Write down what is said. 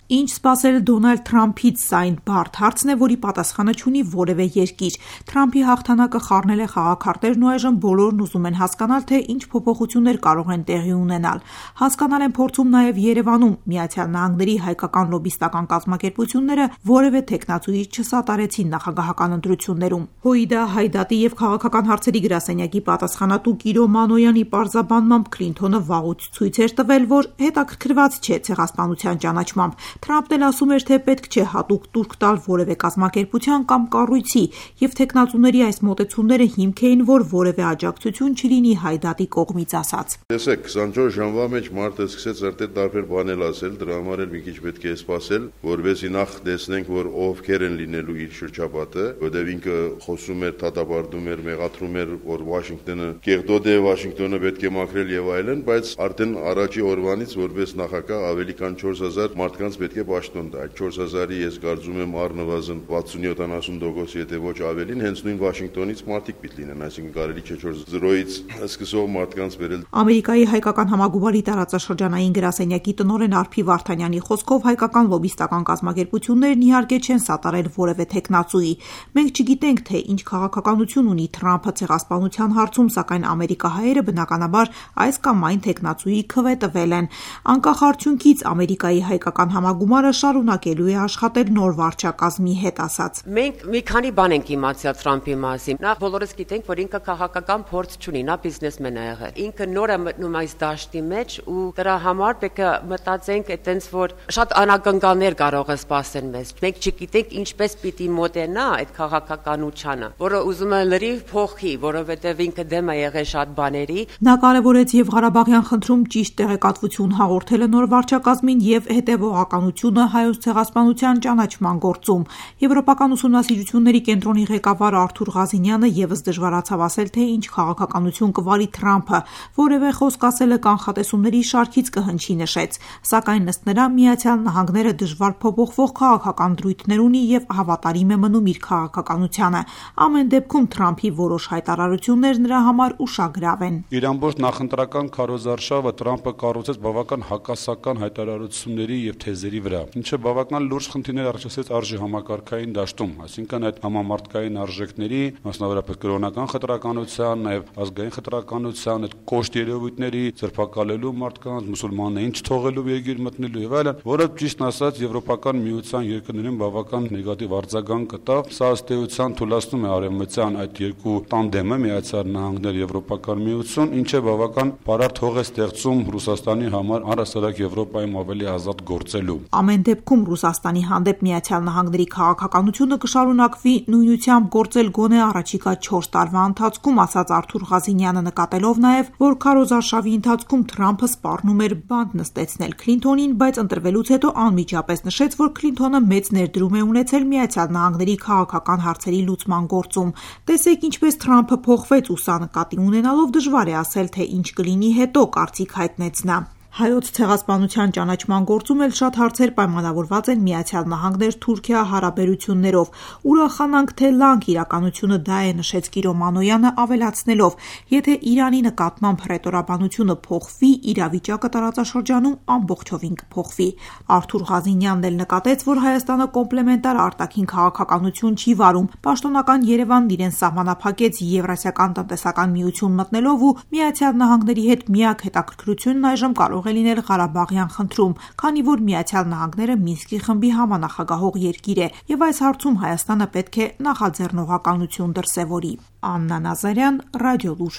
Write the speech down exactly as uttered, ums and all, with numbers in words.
Ինչ սպասել Դոնալդ Թրամփից սա այն բարդ հարցն է, որի պատասխանը չունի որևէ երկիր։ Թրամփի հաղթանակը խառնել է խաղաքարտերն ու այժմ բոլորն ուզում են հասկանալ, թե ինչ փոփոխություններ կարող են տեղի ունենալ։ Հասկանալ են փորձում նաև Երևանում Միացյալ Նահանգների հայկական լոբիստական կազմակերպությունները որևէ թեկնածուի չսատարեցին նախագահական ընտրություններում։ Հոիդա Հայդատի և քաղաքական հարցերի գրասենյակի պատասխանատու Կիրո Մանոյանի պարզաբանմամբ Քլինթոնը վաղուց ցույց էր տվել, որ հետաքրքրված չէ ցեղասպանության ճանաչմամբ։ Թրամփն էլ ասում էր, թե պետք չէ հատուկ տուրք տալ որևէ կազմակերպության կամ կառույցի, և թեկնածուների այս մոտեցումները հիմք էին, որ որևէ աջակցություն չլինի Հայդատի կողմից ասած։ Տեսեք, քսանչորս ժամվա մեջ մարդը սկսեց արդեն տարբեր բաներ ասել, դրա համար էլ մի քիչ պետք է սպասել, որովհետեւ նախ տեսնենք, որ ովքեր են լինելու իր շրջապատը, որովհետեւ ինքը խոսում էր, դատապարտում էր, մեղադրում էր, որ Վաշինգտոնը կեղտոտ է, Վաշինգտոնը պետք է մաքրել եւ այլն, բայց արդեն առաջի օրվանից որպես նախագահ ավելի քան չորս հազար մարդկանց պետք է պաշտոն տա։ չորս հազարի ես կարծում եմ առնվազն վաթսուն-յոթանասուն տոկոս, եթե ոչ ավելին, հենց նույն Վաշինգտոնից մարդիկ պիտի լինեն, այսինքն կարելի չէ չորս զրոյից սկսող մարդկանց վերել։ Ամերիկայի հայկական համագումարի տարածաշրջանային գրասենյակի տնօրեն Արփի Վարդանյանի խոսքով հայկական լոբիստական կազմակերպություններն իհարկե չեն սատարել որևէ թեկնածուի։ Մենք չգիտենք, թե ինչ քաղաքականություն ունի Թրամփը ցեղասպանության հարցում, սակայն ամերիկահայերը բնականաբար այս կամ այն թեկնածուի քվե տվել են։ Անկախ արդյունքից Ամերիկայի հայկական համագումարը շարունակելու է աշխատել նոր վարչակազմի հետ ասած։ Մենք մի քանի բան ենք իմացել Թրամփի մասին։ Նախ բոլորս գիտենք, որ ինքը քաղաքական փորձ չունի, նա բիզնեսմեն է եղել։ Ինքը նոր է մտնում այս դաշտի մեջ ու դրա համար պետք է մտածենք այտենց, որ շատ անակնկալներ կարող է սպասել մեզ։ Մենք չգիտենք ինչպես պիտի մոտենա այդ քաղաքականությանը, որը ուզում է լրիվ փոխի, որովհետև ինքը դեմ է եղել շատ բաների։ Նա կարևորեց եւ Ղարաբաղյան խնդրում ճիշտ տեղեկատվություն հաղորդելը նոր վարչակազմին եւ հետևողականությունը հայոց ցեղասպանության ճանաչման գործում։ Եվրոպական ուսումնասիրությունների կենտրոնի ղեկավար Արթուր Ղազինյանը եւս դժվարացավ ասել, թե ինչ քաղաքականություն կվարի Թրամփը, որևէ խոսք ասելը կանխատեսումների շարքից կհնչի նշեց, սակայն ըստ նրա Միացյալ Նահանգները դժվար փոփոխվող քաղաքական դրույթներ ունի եւ հավատարիմ է մնում իր քաղաքականությանը։ Ամեն դեպքում Թրամփի որոշ հայտարարություններ նրա համար ուշագրավ են։ Իր ամբողջ նախընտրական քարոզարշավը Թրամփը կառուցեց բավական հակասական հայտարարությունների եւ թեզերի վրա, ինչը բավական լուրջ խնդիրներ առաջացրեց արժի համակարգային դաշտում, այսինքն այդ համամարտկային արժեքների, մասնավորապես կրոնական խտրականության, նաեւ ազգային խտրականության, այդ կոշտ երևույթների ձերբակալելու մարդկանց, մուսուլմաններին չթողելու երկիր մտնելու եւ այլն, որը ճիշտն ասած Եվրոպական միության երկրներին բավական նեգատիվ արձագանք կտավ։ Սա ըստ էության թույլատնում է արևմտյան այդ երկու տանդեմը Միացյալ Նահանգներ Եվրոպական միություն, ինչը բավական բարդ հող է ստեղծում Ռուսաստանի համար առհասարակ Եվրոպայում ավելի ազատ գործելու։ Ամեն դեպքում Ռուսաստանի հանդեպ Միացյալ Նահանգների քաղաքականությունը կշարունակվի նույնությամբ գործել գոնե առաջիկա չորս տարվա ընթացքում, ասաց Արթուր Ղազինյանը, նկատելով նաև, որ քարոզարշավի ընթացքում Թրամփը սպառնում էր բանտ նստեցնել Քլինթոնին, բայց ընտրվելուց հետո անմիջապես նշեց, որ Քլինթոնը մեծ ներդրում է ունեցել Միացյալ Նահանգների քաղաքական հարցերի լուծման գործում։ Տեսեք ինչպես Թրամփը փոխվեց ու սա նկատի ունենալով դժվար է ասել, թե ինչ կլինի հետո, կարծիք հայտնեց նա։ Հայոց ցեղասպանության ճանաչման գործում էլ շատ հարցեր պայմանավորված են Միացյալ Նահանգներ-Թուրքիա հարաբերություններով։ Ուրախանանք, թե լանք իրականությունը դա է, նշեց Կիրո Մանոյանը, ավելացնելով, եթե Իրանի նկատմամբ հռետորաբանությունը փոխվի, իրավիճակը տարածաշրջանում ամբողջովին կփոխվի։ Արթուր Ղազինյանն էլ նկատեց, որ Հայաստանը կոմպլեմենտար արտաքին քաղաքականություն չի վարում։ Պաշտոնական Երևանն իրեն սահմանափակեց Եվրասիական տնտեսական միություն մտնելով ու Միացյալ Նահանգների հետ միակ հետաքրքրությունն այժմ կարող է լինել Ղարաբաղյան խնդրում, քանի որ Միացյալ Նահանգները Մինսկի խմբի համանախագահող երկիր է, եւ այս հարցում Հայաստանը պետք է նախաձեռնողականություն դրսևորի։ Աննա Նազարյան, Ռադիոլուր։